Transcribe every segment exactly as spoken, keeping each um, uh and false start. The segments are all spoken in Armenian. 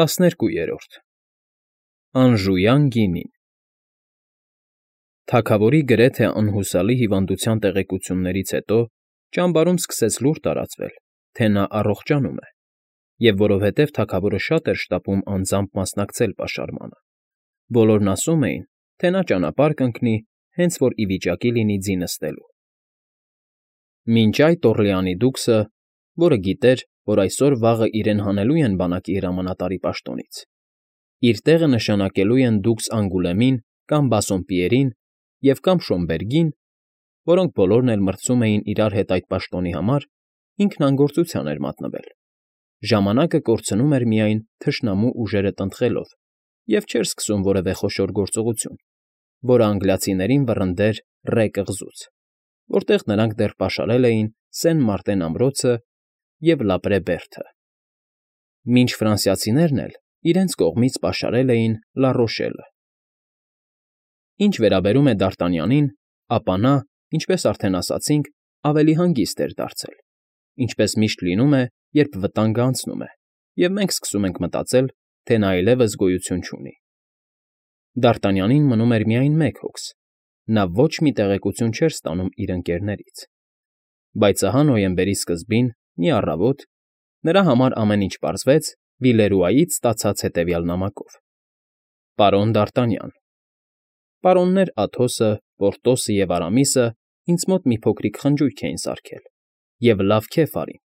ՏԱՍՆԵՐԿՈՒԵՐՈՐԴ ԱՆԺՈՒՅԱՆ ԳԻՆԻՆ Թագավորի գրեթե անհուսալի հիվանդության տեղեկություններից հետո ճամբարում սկսեց լուր տարածվել, թե նա առողջանում է, և որովհետև թագավորը շատ էր շտապում անձամբ մասնակցել պաշարմանը, բոլորն ասում էին, թե նա ճանապարհ կընկնի, հենց որ ի վիճակի լինի ձի նստելու։ Մինչ այդ Օռլեանի դուքսը, որը գիտեր, որ այսօր֊վաղը իրեն հանելու են բանակի հրամանատարի պաշտոնից, իր տեղը նշանակելու են դուքս Անգուլեմին կամ Բասսոնպիերին և կամ Շոմբերգին, որոնք բոլորն էլ մրցում էին իրար հետ այդ պաշտոնի համար, ինքն անգործության էր մատնվել, ժամանակը կորցնում էր միայն թշնամու ուժերը տնտղելով և չէր սկսում որևէ խոշոր գործողություն, որը անգլիացիներին վռնդեր Ռե կղզուց, որտեղ նրանք դեռ պաշարել էին Սեն Մարտեն ամրոցը և Լապրե Բերդը, մինչ ֆրանսիացիներն էլ իրենց կողմից պաշարել էին Լա Ռոշելը։ Ինչ վերաբերում է Դարտանյանին, ապա նա, ինչպես արդեն ասացինք, ավելի հանգիստ էր դարձել, ինչպես միշտ լինում է, երբ վտանգը անցնում է, և մենք սկսում ենք մտածել, թե նա այլևս գոյություն չունի։ Դարտանյանին մնում էր միայն մեկ հոգս. նա ոչ մի տեղեկություն չէր ստանում իր ընկերներից, բայց ահա նոյեմբերի սկզբին, մի առավոտ, նրա համար ամեն ինչ պարզվեց Վիլերուայից ստացած հետևյալ նամակով. Պարոն Դարտանյան, պարոններ Աթոսը, Պորտոսը և Արամիսը ինձ մոտ մի փոքրիկ խնջույք էին սարքել և լավ քեֆ արին,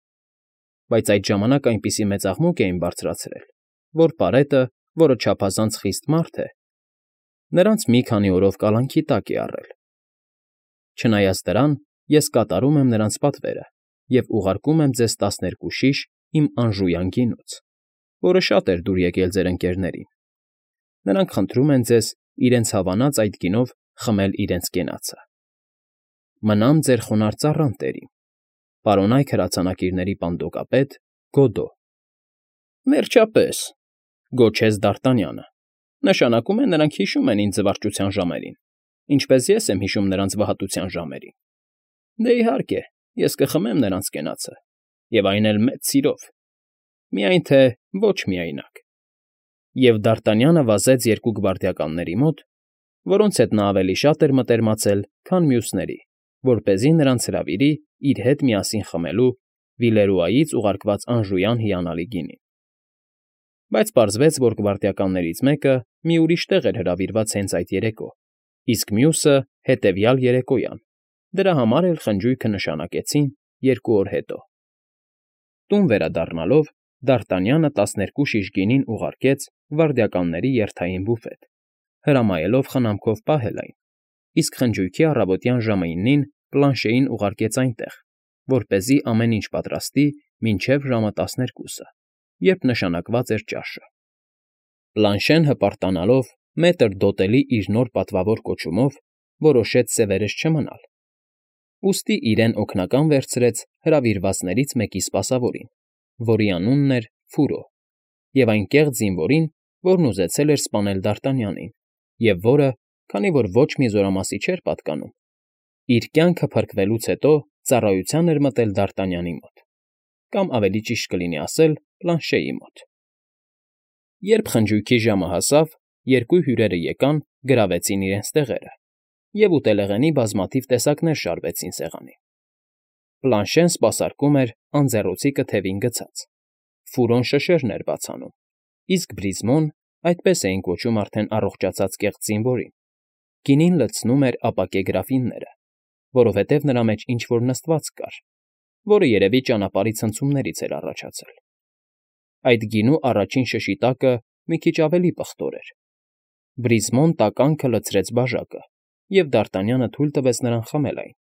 բայց այդ ժամանակ այնպիսի մեծ աղմուկ էին բարձրացրել, որ պարետը, որը չափազանց խիստ մարդ է, նրանց մի քանի օրով կալանքի տակ է առել։ Չնայած դրան, ես կատարում եմ նրանց պատվերը և ուղարկում եմ ձեզ տասներկու շիշ իմ անժույան գինուց, որը շատ էր դուր եկել ձեր ընկերներին։ Նրանք խնդրում են ձեզ իրենց հավանած այդ գինով խմել իրենց կենացը։ Մնամ ձեր խոնարհ ծառան տերին, պարոնայք հրացանակիրների պանդոկապետ Գոդո։ Վերջապես, գոչեց Դարտանյանը, նշանակում է նրանք հիշում են ինձ զվարճության ժամերին, ինչպես ես եմ հիշում նրանց վհատության ժամերին։ Դե, իհարկե, ես կխմեմ նրանց կենացը, և այն էլ մեծ սիրով, միայն թե ոչ միայնակ։ Եվ Դարտանյանը վազեց երկու գվարդիականների մոտ, որոնց հետ նա ավելի շատ էր մտերմացել, քան մյուսների, որպեսզի նրանց հրավիրի իր հետ միասին խմելու Վիլերուայից ուղարկված անժույան հիանալի գինին։ Բայց պարզվեց, որ գվարդիականներից մեկը մի ուրիշ տեղ էր հրավիրված հենց այդ երեկո, իսկ մյուսը՝ հետևյալ երեկոյան, դրա համար էլ խնջույքը նշանակեցին երկու օր հետո։ Տուն վերադառնալով Դարտանյանը տասներկու շիշ գինին ուղարկեց գվարդիականների երթային բուֆետ, հրամայելով խնամքով պահել այն, իսկ խնջույքի առավոտյան ժամը ինին Պլանշեին ուղարկեց այնտեղ, որպեսզի ամեն ինչ պատրաստի մինչև ժամը տասներկուսը, երբ նշանակված էր ճաշը։ Պլանշեն հպարտանալով մետր դոտելի իր նոր պատվավոր կոչումով, որոշեց սևերես չմնալ, ուստի իրեն օգնական վերցրեց հրավիրվածներից մեկի սպասավորին, որի անունն էր Ֆուրո, և այն կեղծ զինվորին, որն ուզեցել էր սպանել Դարտանյանին, և որը, քանի որ ոչ մի զորամասի չէր պատկանում, իր կյանքը փրկվելուց հետո ծառայության էր մտել Դարտանյանի մոտ, կամ ավելի ճիշտ կլինի ասել Պլանշեի մոտ։ Երբ խնջույքի ժամը հասավ, երկու հյուրերը եկան, գրավեցին իրենց տեղերը, և ուտելեղենի բազմաթիվ տեսակներ շարվեցին սեղանին։ Պլանշեն սպասարկում էր անձեռոցիկը թևին գցած, Ֆուրոն շշերն էր բաց անում, իսկ Բրիզմոն, այդպես էին կոչում արդեն առողջացած կեղծ զինվորին, գինին լցնում էր ապակե գրաֆինները, որովհետև նրա մեջ ինչ֊որ նստվածք կար, որը երևի ճանապարհի ցնցումներից էր առաջացել։ Այդ գինու առաջին շշի տակը մի քիչ ավելի պղտոր էր։ Բրիզմոն տականքը լցրեց բաժակը, և Դարտանյանը թույլ տվեց նրան խմել այն,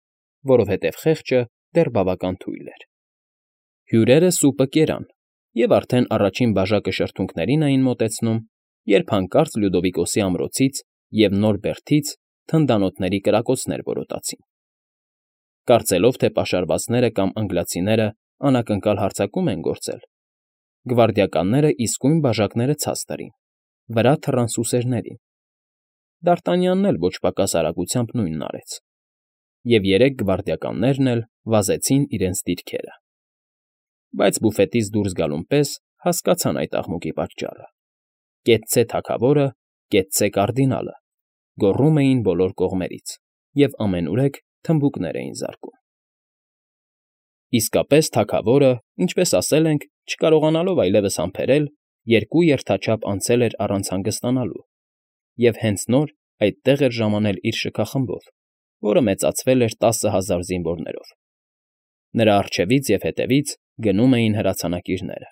որովհետև խեղճը դեռ բավական թույլ էր։ Հյուրերը սուպը կերան և արդեն առաջին բաժակը շրթունքներին էին մոտեցնում, երբ հանկարծ Լյուդովիկոսի ամրոցից և նոր բերդից թնդանոթների կրակոցներ որոտացին։ Կարծելով, թե պաշարվածները կամ անգլիացիները անակնկալ հարձակում են գործել, գվարդիականները իսկույն բաժակները ցած տարին, վրա թռան սուսերներին։ Դարտանյանն էլ ոչ պակաս արագությամբ նույնն արեց, և երեք գվարդիականներն էլ վազեցին իրենց դիրքերը։ Բայց բուֆետից դուրս գալուն պես հասկացան այդ աղմուկի պատճառը։ Կեցցե թագավորը, կեցցե կարդինալը, գոռում էին բոլոր կողմերից և ամենուրեք թմբուկներ էին զարկում։ Իսկապես թագավորը, ինչպես ասել ենք, չկարողանալով այլևս համբերել, երկու երթաչափ անցել էր առանց հանգստանալու և հենց նոր այդտեղ էր ժամանել իր շքախմբով, որը մեծացել էր տասը հազար զինվորներով։ Նրա առջևից և հետևից գնում էին հրացանակիրները։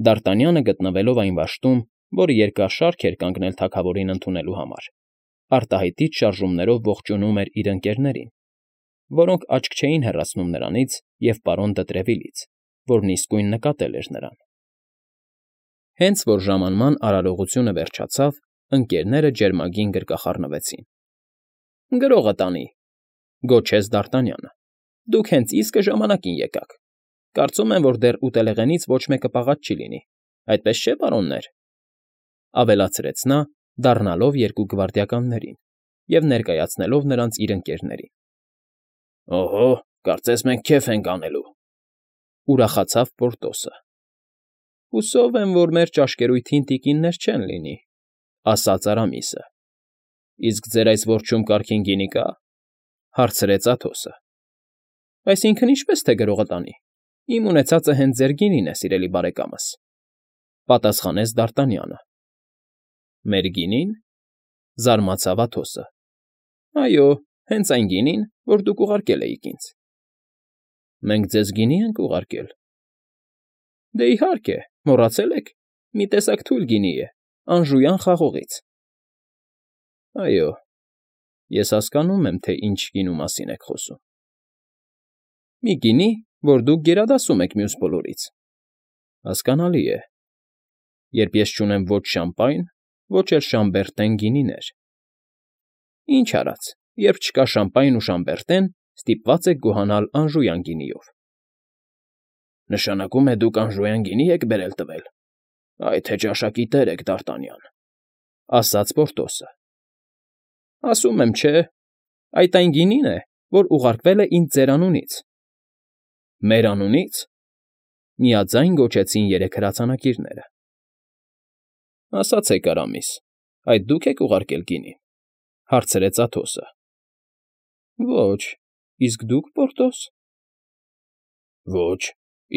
Դարտանյանը գտնվելով այն վաշտում, որը երկար շարք էր կանգնել թագավորին ընդունելու համար, արտահայտիչ շարժումներով ողջունում էր իր ընկերներին, որոնք աչք չէին հեռացնում նրանից և պարոն Դտրևիլից, որն իսկույն նկատել էր նրան։ Հենց որ ժամանման արարողությունը վերջացավ, ընկերները ջերմագին գրկախառնվեցին։ ֊ Գրողը տանի,֊ գոչեց Դարտանյանը։֊ Դուք հենց իսկը ժամանակին եկաք։ Կարծում եմ, որ դեռ ուտելեղենից ոչ մեկը պաղած չի լինի, այդպես չէ՞, պարոններ,֊ ավելացրեց նա, դառնալով երկու գվարդիականներին և ներկայացնելով նրանց իր ընկերներին։ ֊ Օհո, կարծես մենք քեֆ ենք անելու,֊ ուրախացավ Պորտոսը։ ֊ Հուսով եմ, որ մեր ճաշկերույթին տիկիններ չեն լինի,֊ ասաց Արամիսը։ ֊ Իսկ ձեր այս որջում կարգին գինի կա՞, հարցրեց Աթոսը։ ֊ Այսինքն՝ ինչպես թե գրողը տանի։ Իմ ունեցածը հենց ձեր գինին է, սիրելի բարեկամս,֊ պատասխանեց Դարտանյանը։ ֊ Մեր գինի՞ն,֊ զարմացավ Աթոսը։ ֊ Այո, հենց այն գինին, որ դուք ուղարկել էիք ինձ։ ֊ Մենք ձեզ գինի՞ ենք ուղարկել։ ֊ Դե, իհարկե, մոռացել եք, մի տեսակ թույլ գինի է, Անժույան խաղողից։ ֊ Այո, ես հասկանում եմ, թե ինչ գինու մասին եք խոսում։ ֊ Մի գինի, որ դուք գերադասում եք մյուս բոլորից։ ֊ Հասկանալի է, երբ ես չունեմ ոչ շամպայն, ոչ էլ Շամբերտեն գինիներ։ ֊ Ինչ արած, երբ չկա շամպայն ու Շամբերտեն, ստիպված եք գոհանալ Անժույան գինիով։ ֊ Նշանակում է դուք Անժույան գինի՞ եք բերել տվել։ Այ թե ճաշակի տեր եք, Դարտանյան,֊ ասաց Պորտոսը։ ֊ Ասում եմ, չէ, այդ այն գինին է, որ ուղարկվել է ինձ ձեր անունից։ ֊ Մեր անունի՞ց,֊ միաձայն գոչեցին երեք հրացանակիրները։ ֊ Ասացեք, Արամիս, այդ դու՞ք եք ուղարկել գինին,֊ հարցրեց Աթոսը։ ֊ Ոչ, իսկ դուք, Պորտոս։ ֊ Ոչ,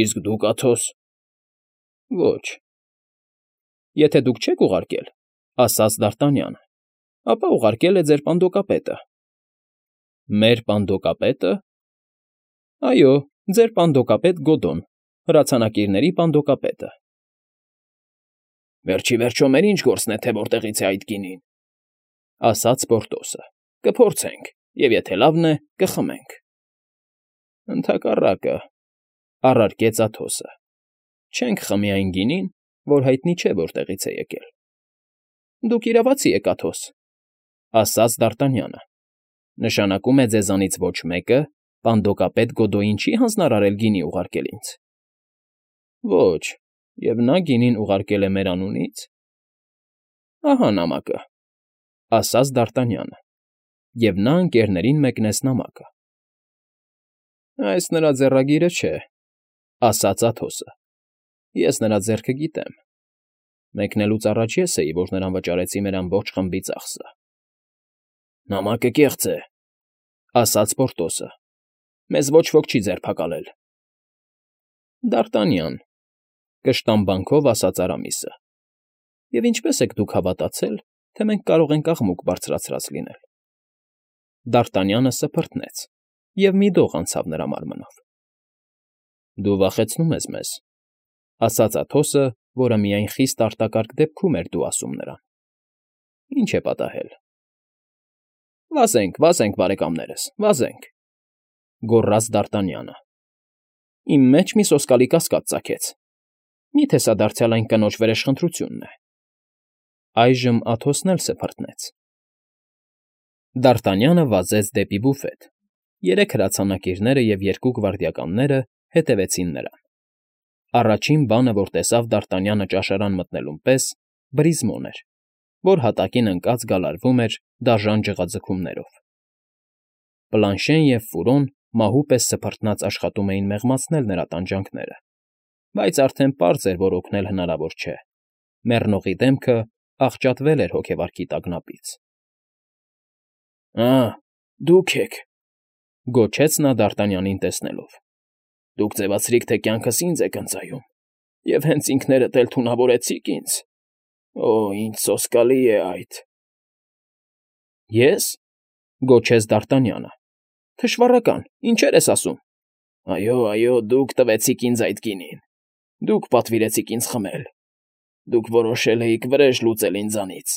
իսկ դուք, Աթոս։ ֊ Ոչ։ ֊ Եթե դուք չեք ուղարկել,֊ ասաց Դարտանյանը,֊ ապա ուղարկել է ձեր պանդոկապետը։ ֊ Մեր պանդոկապե՞տը։ ֊ Այո, ձեր պանդոկապետ Գոդոն, հրացանակիրների պանդոկապետը։ ֊ Վերջ ի վերջո մեր ի՞նչ գործն է, թե որտեղից է այդ գինին,֊ ասաց Պորտոսը։ ֊ Կփորձենք, և եթե լավն է, կխմենք։ ֊ Ընդհակառակը,֊ առարկեց Աթոսը,֊ չենք խմի այն գինին, որ հայտնի չէ որտեղից է եկել։ ֊ Դուք իրավացի եք, Աթոս,֊ ասաց Դարտանյանը,֊ նշանակում է ձեզանից ոչ մեկը պանդոկապետ Գոդոյին չի հանձնարարել գինի ուղարկել ինձ։ ֊ Ոչ, և նա գինին ուղարկել է մեր անունից։ ֊ Ահա նամակը,֊ ասաց Դարտանյանը, և նա ընկերներին մեկնեց նամակը։ ֊ Այս նրա ձեռագիրը չէ,֊ ասաց Աթոսը,֊ ես նրա ձեռքը գիտեմ։ Մեկնելուց առաջ ես էի, որ նրան վճարեցի մեր ամբողջ խմբի ծախսը։ ֊ Նամակը կեղծ է,֊ ասաց Պորտոսը,֊ մեզ ոչ ոք չի ձերբակալել։ ֊ Դարտանյան,֊ կշտամբանքով ասաց Արամիսը,֊ և ինչպե՞ս եք դուք հավատացել, թե մենք կարող ենք աղմուկ բարձրացրած լինել։ Դարտանյանը սփռտնեց, և մի դող անցավ նրա մարմնով։ ֊ Դու վախեցնում ես մեզ,֊ ասաց Աթոսը, որը միայն խիստ արտակարգ դեպքում էր դու ասում նրան։ ֊ Ինչ է պատահել։ ֊ Վազենք, վազենք, բարեկամներս, վազենք,֊ գոռաց Դարտանյանը։ Իմ մեջ մի սոսկալի կասկած ծագեց. մի՞թե սա դարձյալ այն կնոջ վրեժխնդրությունն է։ Այժմ Աթոսն էլ սփռտնեց։ Դարտանյանը վազեց դեպի բուֆետ։ Երեք հրացանակիրները և երկու գվարդիականները հետևեցին նրան։ Առաջին բանը, որ տեսավ Դարտանյանը ճաշարան մտնելուն պես, բրիզմոն էր, որ հատակին ընկած գալարվում էր դաժան ջղաձգումներով։ Պլանշեն և Ֆուրոն մահու պես սփռտնած աշխատում էին մեղմացնել նրա տանջանքները, բայց արդեն պարզ էր, որ օգնել հնարավոր չէ։ Մեռնողի դեմքը աղճատվել էր հոգեվարքի տագնապից։ ֊ Ա՜, դուք եք,֊ գոչեց նա Դարտանյանին տեսնելով։֊ Դուք ձևացրիք, թե կյանքս ինձ եք ընծայում, և հենց ինքներդ էլ թունավորեցիք ինձ… Օ՜, ինչ սոսկալի է այդ… ֊ Ե՞ս,֊ գոչեց Դարտանյանը։֊ Թշվառական, ինչեր ես ասում… ֊ Այո, այո, դուք տվեցիք ինձ այդ գինին, դուք պատվիրեցիք ինձ խմել, դուք որոշել էիք վրեժ լուծել ինձանից,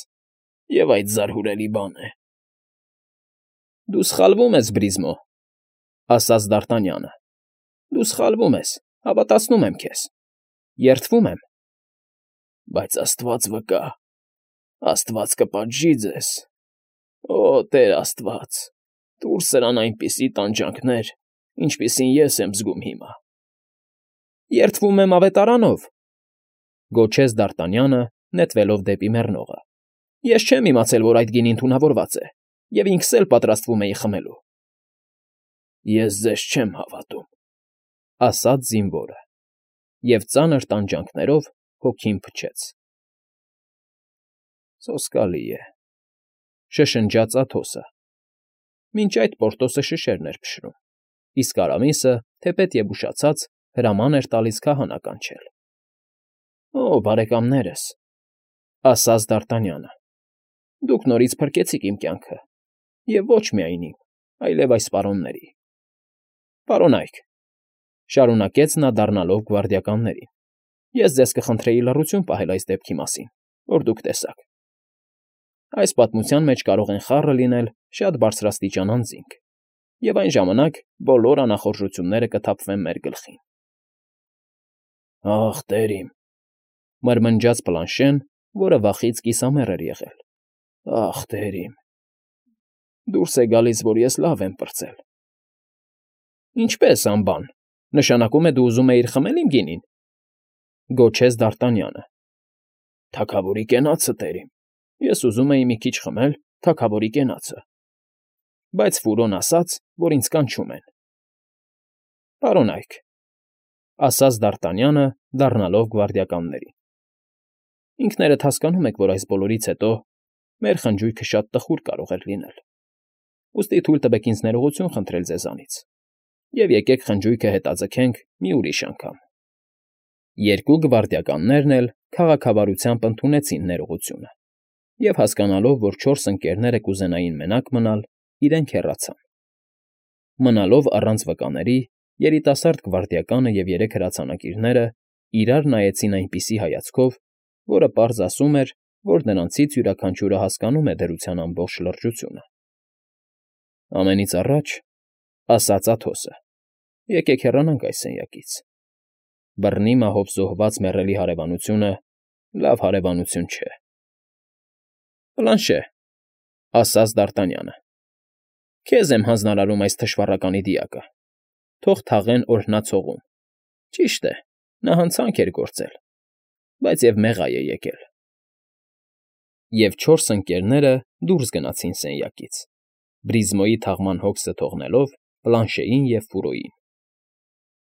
և այդ զարհուրելի բան է… ֊ Դու սխալվում ես, Բրիզմո,֊ ասաց Դարտանյանը։֊ Դու սխալվում ես, հավատացնում եմ քեզ… Երդվում եմ… ֊ Բայց աստված վկա, աստված կպատժի ձեզ… Օ, Տեր աստված, տուր սրան այնպիսի տանջանքներ, ինչպիսին ես եմ զգում հիմա… ֊ Երդվում եմ ավետարանով,֊ գոչեց Դարտանյանը, նետվելով դեպի մեռնողը։֊ Ես չեմ իմացել, որ այդ գինին թունավորված է, և ինքս էլ պատրաստվում էի խմելու… ֊ Ես ձեզ չեմ հավատում,֊ ասաց զինվորը և ծանր տանջանքներով հոգին փչեց։ ֊ Սոսկալի է,֊ շշնջաց Աթոսը. մինչ այդ Պորտոսը շշերն էր փշրում, իսկ Արամիսը, թեպետ և ուշացած, հրաման էր տալիս քահանա կանչել։ ֊ Օ, բարեկամներս,֊ ասաց Դարտանյանը,֊ դուք նորից փրկեցիք իմ կյանքը, և ոչ միայն իմ, այլև այս պարոնների… Պարոննա՛յք,֊ շարունակեց նա դառնալով գվարդիականներին,֊ ես ձեզ կխնդրեի լռություն պահել այս դեպքի մասին, որ դուք տեսաք… Այս պատմության մեջ կարող են խառը լինել շատ բարձրաստիճան անձինք, և այն ժամանակ բոլոր անախորժությունները կթափվեն մեր գլխին… ֊ Ախ, տեր իմ,֊ մրմնջաց Պլանշեն, որը վախից կիսամեռ էր եղել,֊ ախ, տեր իմ… Դուրս է գալիս, որ ես լավ եմ պրծել… ֊ Ինչպե՞ս, անբան, նշանակում է դու ուզում էիր խմել իմ գինին,֊ գոչեց Դարտանյանը։ ֊ Թագավորի կենացը, տեր իմ… Ես ուզում էի մի քիչ խմել թագավորի կենացը… Բայց Ֆուրոն ասաց, որ ինձ կանչում են… ֊ Պարոննա՛յք,֊ ասաց Դարտանյանը, դառնալով գվարդիականներին,֊ ինքներդ հասկանում եք, որ այս բոլորից հետո մեր խնջույքը շատ տխուր կարող էր լինել… Ուստի թույլ տվեք ինձ ներողություն խնդրել ձեզանից, և եկեք խնջույքը հետաձգենք մի ուրիշ անգամ… Երկու գվարդիականներն էլ քաղաքավարությամբ ընդունեցին ներողությունը և, հասկանալով, որ չորս ընկներները կուզենային մենակ մնալ, իրենք հեռացան… Մնալով առանց վկաների, երիտասարդ գվարդիականը և երեք հրացանակիրները իրար նայեցին այնպիսի հայացքով, որը պարզ ասում էր, որ նրանցից յուրաքանչյուրը հասկանում է դրության ամբողջ լրջությունը։ ֊ Ամենից առաջ,֊ ասաց Աթոսը,֊ եկեք հեռանանք այս սենյակից… Բռնի մահով զոհված մեռելի հարևանությունը լավ հարևանություն չէ… ֊ Պլանշե,֊ ասաց Դարտանյանը,֊ քեզ եմ հանձնարարում այս թշվառականի դիակը… Թող թաղեն օրհնած հողում… Ճիշտ է, նա հանցանք էր գործել, բայց և մեղա է եկել… Եվ չորս ընկներները դուրս գնացին սենյակից, Բրիզմոյի թաղման հոգսը թողնելով Պլանշեին և Ֆուրոյին։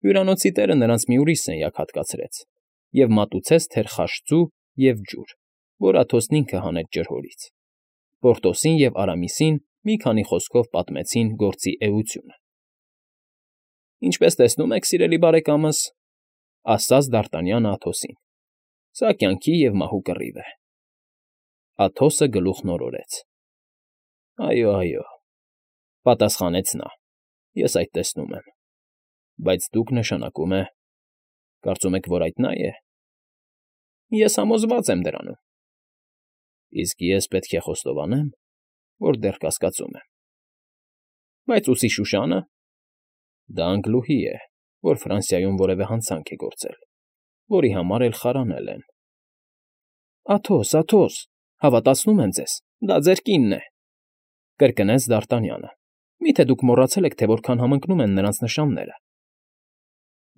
Հյուրանոցի տերը նրանց մի ուրիշ սենյակ հատկացրեց և մատուցեց թերխաշծու և ջուր, որ Աթոսն ինքը հանեց ջրհորից, Պորտոսին և Արամիսին մի քանի խոսքով պատմեցին գործի էությունը։ ֊ Ինչպես տեսնում եք, սիրելի բարեկամս,֊ ասաց Դարտանյանը Աթոսին,֊ սա կյանքի և մահու կռիվ է… Աթոսը գլուխն օրորեց։ ֊ Այո, այո,֊ պատասխանեց նա,֊ ես այդ տեսնում եմ… Բայց դուք, նշանակում է, կարծում եք, որ այդ նա է… Ես համոզված եմ դրանում… Իսկ ես պետք է խոստովանեմ, որ դեռ կասկածում եմ… Բայց ուսի շուշանը… Դա Անգլուհի է, որ Ֆրանսիայում որևէ հանցանք է գործել, որի համար էլ խարանել են… ֊ Աթոս, Աթոս, հավատացնում եմ ձեզ, դա ձեր կինն է,֊ կրկնեց Դարտանյանը։֊ Մի՞թե դուք մոռացել եք, թե որքան համընկնում են նրանց նշանները…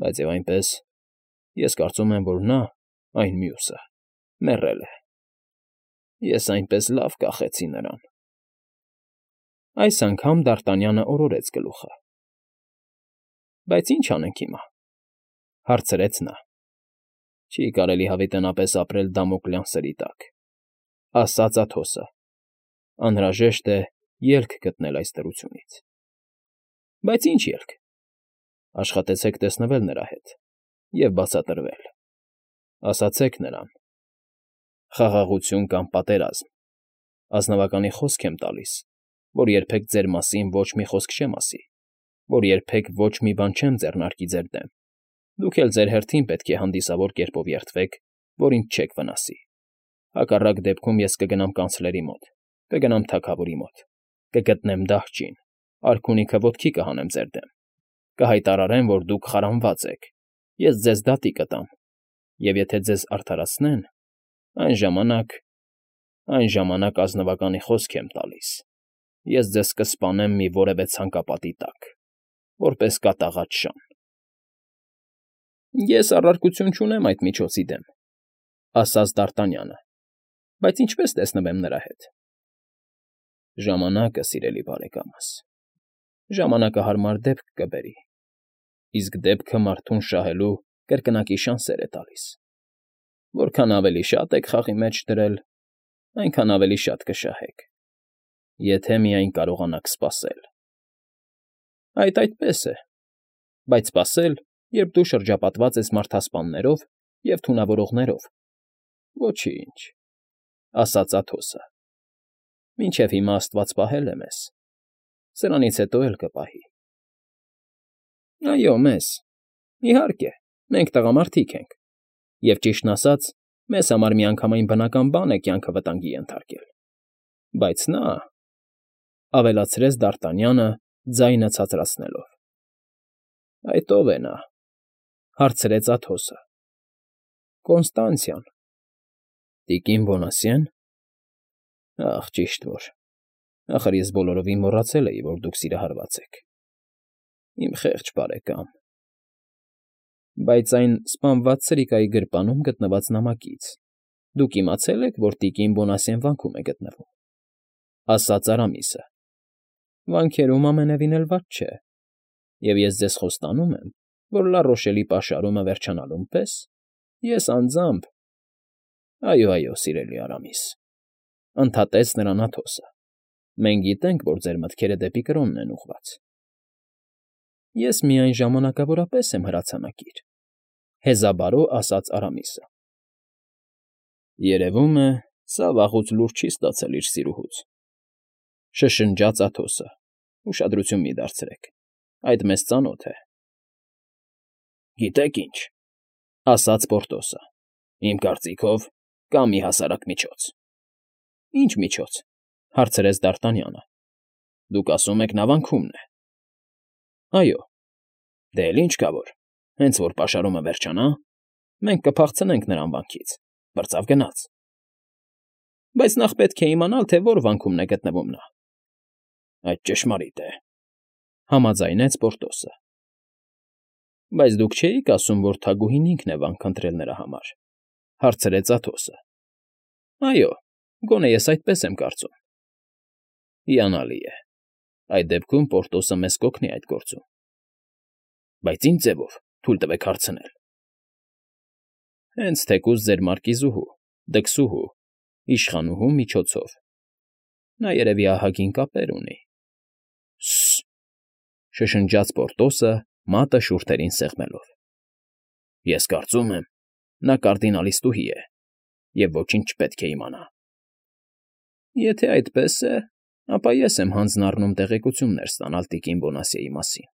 Բայց և այնպես, ես կարծում եմ, որ նա, այն մյուսը, մեռել է… Ես այնպես լավ կախեցի նրան… Այս անգամ Դարտանյանը օրորեց գլուխը։ ֊ Բայց ի՞նչ անենք հիմա,֊ հարցրեց նա։ Չի կարելի հավիտենապես ապրել դամոկլյան սրի տակ, ասաց Աթոսը, անհրաժեշտ է ելք գտնել այս դրությունից։ Բայց ինչ ելք։ Աշխատեցեք տեսնվել նրա հետ և բացատրվել, ասացեք նրան. խաղաղություն կամ պատերազմ, ազնվականի խոսք եմ տալիս, որ երբեք ձեր մասին ոչ մի խոսք չեմ ասի, որ երբեք ոչ մի բան չեմ ձեռնարկի ձեր դեմ, դուք էլ ձեր հերթին պետք է հանդիսավոր կերպով երդվեք, որ ինձ չեք վնասի, հակառակ դեպքում ես կգնամ կանցլերի մոտ, կգնամ թագավորի մոտ, կգտնեմ դահճին, արքունիքը ոտքի կհանեմ ձեր դեմ, կհայտարարեմ, որ դուք խարանված եք, ես ձեզ դատի կտամ, և եթե ձեզ արդարացնեն, այն ժամանակ, այն ժամանակ ազնվականի խոսք եմ տալիս, ես ձեզ կսպանեմ մի որևէ ցանկապատի տակ, որպես կատաղած շան։ Ես առարկություն չունեմ այդ միջոցի դեմ, ասաց Դ'Արտանյանը, բայց ինչպես տեսնվեմ նրա հետ։ Ժամանակը, սիրելի բարեկամս, ժամանակը հարմար դեպք կբերի, իսկ դեպքը մարդուն շահելու կրկնակի շանսեր է տալիս։ Որքան ավելի շատ եք խաղի մեջ դրել, այնքան ավելի շատ կշահեք, եթե միայն կարողանաք սպասել։ Այդ այդպես է, բայց սպասել, երբ դու շրջապատված ես մարդասպաններով և թունավորողներով, ոչինչ, ասաց Աթոսը, մինչև հիմա աստված պահել է մեզ, սրանից հետո էլ կպահի։ Այո, մեզ, իհարկե, մենք տղամարդիկ ենք, և ճիշտն ասած, մեզ համար միանգամայն բնական բան է կյանքը վտանգի ենթարկել, բայց նա, ավելացրեց Դ'Արտանյանը, ձայնը ցածրացնելով։ Այդ ո՞վ է նա, հարցրեց Աթոսը։ Կոնստանցիան։ Տիկին Բոնասյե՞ն։ Ախ, ճիշտ որ, ախր ես բոլորովին մոռացել էի, որ դուք սիրահարված եք։ Իմ խեղճ բարեկամ։ Բայց այն սպանված սրիկայի գրպանում գտնված նամակից դուք իմացել եք, որ տիկին Բոնասյեն վանքում է գտնվում, ասաց Արամիսը։ Վանքերում ամենևին էլ վատ չէ, և ես ձեզ խոստանում եմ, որ Լա Ռոշելի պաշարումը վերջանալուն պես ես անձամբ… Այո, այո, սիրելի Արամիս, ընդհատեց նրան Աթոսը, մենք գիտենք, որ ձեր մտքերը դեպի Կրոնն են ուղղված։ Ես միայն ժամանակավորապես եմ հրացանակիր, հեզաբարո ասաց Արամիսը։ Երևում է, սա վաղուց լուր չի ստացել իր սիրուհուց, շշնջաց Աթոսը, ուշադրություն մի դարձրեք, այդ մեզ ծանոթ է։ Գիտեք ինչ, ասաց Պորտոսը, իմ կարծիքով կա մի հասարակ միջոց։ Ինչ միջոց, հարցրեց Դ'Արտանյանը։ Դուք ասում եք նա վանքումն է։ Այո, դե էլ ինչ կա որ, հենց որ պաշարումը վերջանա, մենք կփախցնենք նրան վանքից, բրծավ գնաց։ Բայց նախ պետք է իմանալ, թե որ վանքումն է գտնվում նա։ Այդ ճշմարիտ է, համաձայնեց Պորտոսը։ Բայց դուք չէիք ասում, որ թագուհին ինքն է վանք ընտրել նրա համար, հարցրեց Աթոսը։ Այո, գոնե ես այդպես եմ կարծում։ Հիանալի է, այդ դեպքում Պորտոսը մեզ կօգնի այդ գործում։ Բայց ինչ ձևով, թույլ տվեք հարցնել։ Հենց թեկուզ ձեր մարկիզուհու, դքսուհու, իշխանուհու միջոցով։ Նա երևի ահագին կապեր ունի։ Սը՜, շշնջաց Պորտոսը, մատը շուրթերին սեղմելով։ Ես կարծում եմ, նա կարդինալիստուհի է, և ոչինչ չպետք է իմանա։ Եթե այդպես է, ապա ես եմ հանձն առնում տեղեկություններ ստանալ տիկին Բոնասիեի մասին,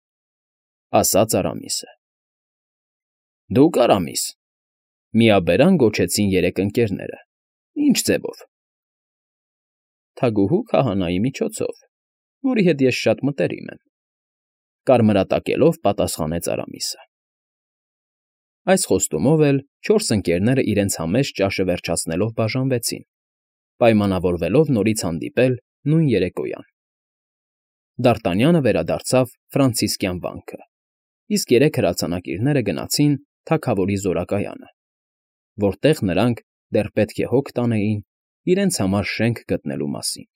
ասաց Արամիսը։ Դուք, Արամիս, միաբերան գոչեցին երեք ընկերները, ինչ ձևով։ Թագուհու քահանայի միջոցով, որի հետ ես շատ մտերիմ եմ, կարմրատակելով պատասխանեց Արամիսը։ Այս խոստումով էլ չորս ընկերները իրենց համեստ ճաշը վերջացնելով բաժանվեցին, պայմանավորվելով նորից հանդիպել նույն երեկոյան։ Դ'Արտանյանը վերադարձավ Ֆրանցիսկյան վանքը, իսկ երեք հրացանակիրները գնացին թագավորի զորակայանը, որտեղ նրանք դեռ պետք է հոգ տանեին իրենց համար շենք գտնելու մասին։